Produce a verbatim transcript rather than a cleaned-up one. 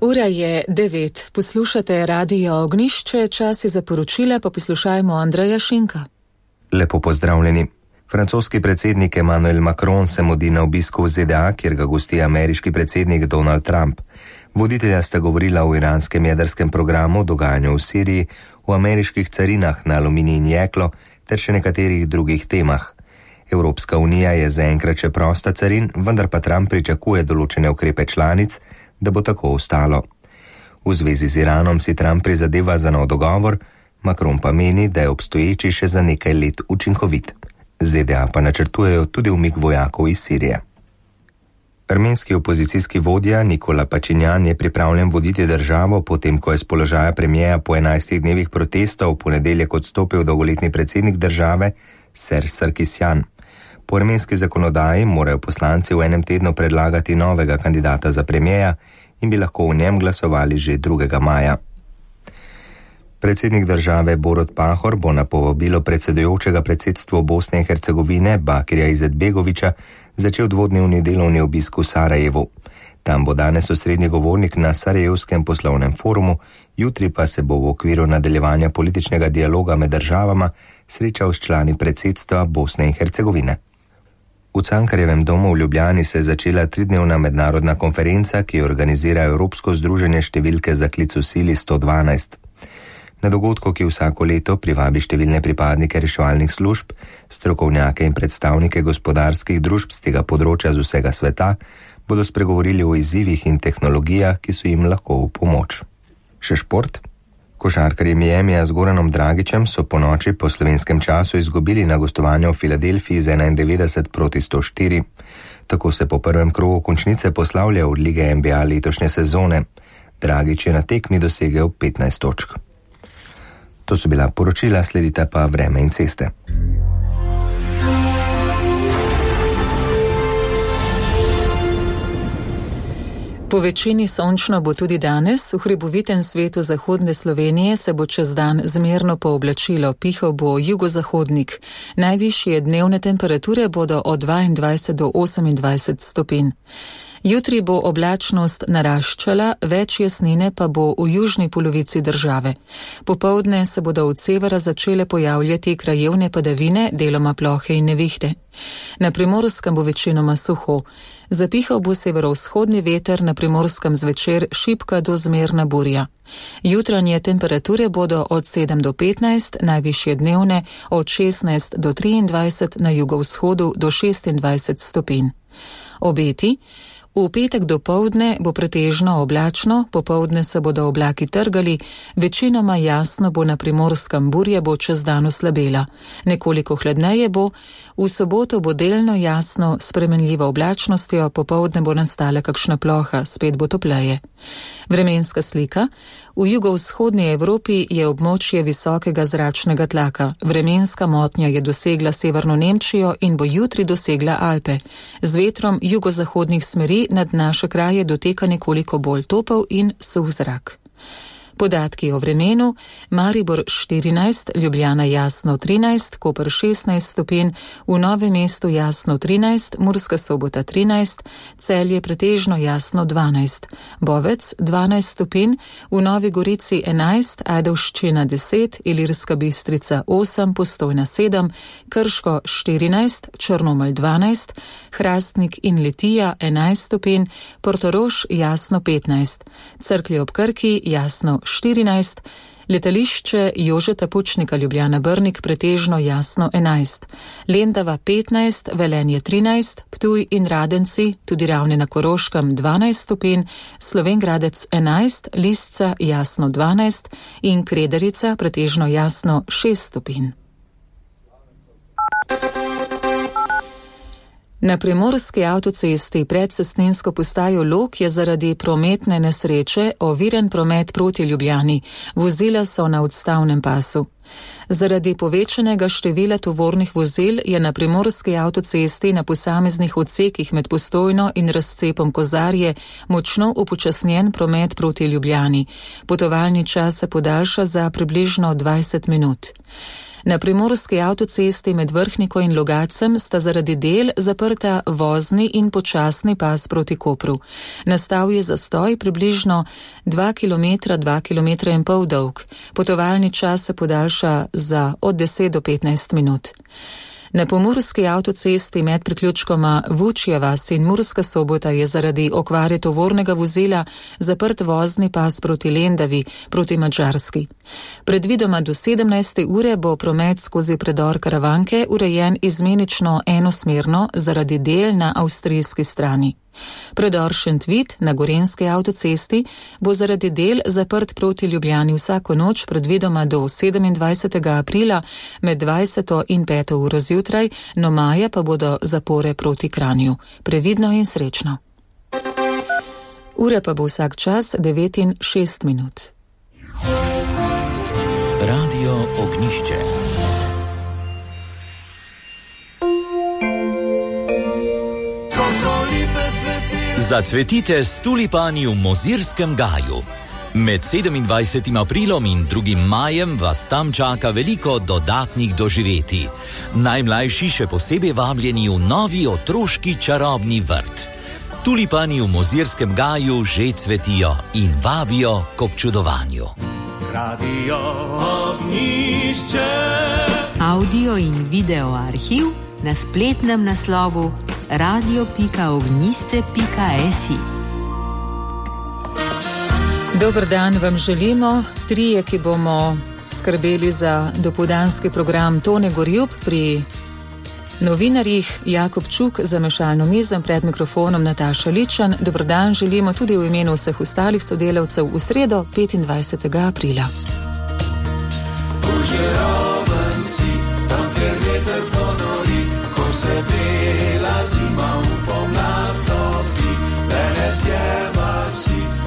Ura je devet. Poslušate Radio Ognišče, čas je za poročila, pa poslušajmo Andreja Šinka. Lepo pozdravljeni. Francoski predsednik Emmanuel Macron se mudi na obisku v Z D A, kjer ga gosti ameriški predsednik Donald Trump. Voditelja sta govorila o iranskem jedrskem programu, dogajanju v Siriji, o ameriških carinah na aluminij in jeklo ter še nekaterih drugih temah. Evropska unija je zaenkrat še prosta carin, vendar pa Trump pričakuje določene ukrepe članic, da bo tako ostalo. V zvezi z Iranom si Trump prizadeva za nov dogovor, Macron pa meni, da je obstoječi še za nekaj let učinkovit. Z D A pa načrtujejo tudi umik vojakov iz Sirije. Armenski opozicijski vodja Nikola Pačinjan je pripravljen voditi državo, potem ko je z položaja premijeja po enajstih dnevih protestov v ponedeljek odstopil dolgoletni predsednik države Serge Sarkisjan. Po armenski zakonodaji morajo poslanci v enem tednu predlagati novega kandidata za premijeja in bi lahko v njem glasovali že drugega maja. Predsednik države Borut Pahor bo na povabilo predsedujočega predsedstvu Bosne in Hercegovine Bakirja Izetbegovića začel dvodnevni delovni obisk v Sarajevu. Tam bo danes osrednji govornik na Sarajevskem poslovnem forumu, jutri pa se bo v okviru nadaljevanja političnega dialoga med državama srečal s člani predsedstva Bosne in Hercegovine. V Cankarjevem domu v Ljubljani se je začela tridnevna mednarodna konferenca, ki jo organizira Evropsko združenje številke za klic v sili sto dvanajst. Na dogodku, ki vsako leto privabi številne pripadnike reševalnih služb, strokovnjake in predstavnike gospodarskih družb z tega področja z vsega sveta, bodo spregovorili o izzivih in tehnologijah, ki so jim lahko v pomoč. Še šport? Košarkarji Miamija z Goranom Dragićem so po noči po slovenskem času izgubili na gostovanju v Filadelfiji z enaindevetdeset proti sto štiri. Tako se po prvem krogu končnice poslavlja od lige N B A letošnje sezone. Dragić je na tekmi dosegel petnajst točk. To so bila poročila, sledite pa vreme in ceste. Po večini sončno bo tudi danes, v hribovitem svetu zahodne Slovenije se bo čez dan zmerno pooblačilo, pihal bo jugozahodnik. Najvišje dnevne temperature bodo od dvaindvajset do osemindvajset stopinj. Jutri bo oblačnost naraščala, več jasnine pa bo v južni polovici države. Popoldne se bodo od severa začele pojavljati krajevne padavine, deloma plohe in nevihte. Na Primorskem bo večinoma suho. Zapihal bo severovzhodni veter, na Primorskem zvečer šibka do zmerna burja. Jutranje temperature bodo od sedem do petnajst, najvišje dnevne od šestnajst do triindvajset, na jugovzhodu do šestindvajset stopinj. Obeti. V petek dopoldne bo pretežno oblačno, popoldne se bodo oblaki trgali, večinoma jasno bo na Primorskem, burja bo čez dan oslabela. Nekoliko hladneje bo, v soboto bo delno jasno, s spremenljivo oblačnostjo, popoldne bo nastala kakšna ploha, spet bo topleje. Vremenska slika. V jugovzhodni Evropi je območje visokega zračnega tlaka. Vremenska motnja je dosegla severno Nemčijo in bo jutri dosegla Alpe. Z vetrom jugozahodnih smeri nad naše kraje doteka nekoliko bolj topel in suh zrak. Podatki o vremenu: Maribor štirinajst, Ljubljana jasno trinajst, Koper šestnajst stopinj, v Novem mestu jasno trinajst, Murska Sobota trinajst, Celje pretežno jasno dvanajst, Bovec dvanajst stopinj, v Novi Gorici enajst, Ajdovščina deset, Ilirska Bistrica osem, Postojna sedem, Krško štirinajst, Črnomelj dvanajst, Hrastnik in Litija enajst stopinj, Portorož jasno petnajst, Cerklje ob Krki jasno štirinajst, letališče Jožeta Pučnika Ljubljana Brnik pretežno jasno enajst, Lendava petnajst, Velenje trinajst, Ptuj in Radenci, tudi Ravne na Koroškem dvanajst stopinj, Slovenj Gradec enajst, Lisca jasno dvanajst in Kredarica pretežno jasno šest stopinj. Na primorski avtocesti pred cestninsko postajo Log je zaradi prometne nesreče oviran promet proti Ljubljani. Vozila so na odstavnem pasu. Zaradi povečanega števila tovornih vozil je na primorski avtocesti na posameznih odsekih med Postojno in razcepom Kozarje močno upočasnjen promet proti Ljubljani. Potovalni čas se podaljša za približno dvajset minut. Na primorski avtocesti med Vrhniko in Logacem sta zaradi del zaprta vozni in počasni pas proti Kopru. Nastal je zastoj približno dva kilometra, dva kilometra in pol dolg. Potovalni čas se podaljša za od deset do petnajst minut. Na pomurski avtocesti med priključkoma Vučja vas in Murska Sobota je zaradi okvare tovornega vozila zaprt vozni pas proti Lendavi, proti Madžarski. Predvidoma do sedemnajste ure bo promet skozi predor Karavanke urejen izmenično enosmerno zaradi del na avstrijski strani. Predor Šentvid na gorenski avtocesti bo zaradi del zaprt proti Ljubljani vsako noč predvidoma do sedemindvajsetega aprila med dvajseto in peto uro zjutraj, no maja pa bodo zapore proti Kranju. Previdno in srečno. Ura pa bo vsak čas devet in šest minut. Radio Ognjišče. Zacvetite s tulipani v Mozirskem gaju. Med sedemindvajsetim aprilom in drugim majem vas tam čaka veliko dodatnih doživetij. Najmlajši še posebej vabljeni v novi otroški čarobni vrt. Tulipani v Mozirskem gaju že cvetijo in vabijo k občudovanju. Radio Ognjišče. Audio in video arhiv na spletnem naslovu radio pika ognjišče pika si. Dober dan vam želimo, trije, ki bomo skrbeli za dopoldanski program. Tone Gorjup pri novinarjih, Jakob Čuk za mešalno mizo, pred mikrofonom Nataša Ličan. Dober dan želimo tudi v imenu vseh ostalih sodelavcev v sredo petindvajsetega aprila. Tam, kjer veter ponori, ko se bela zima v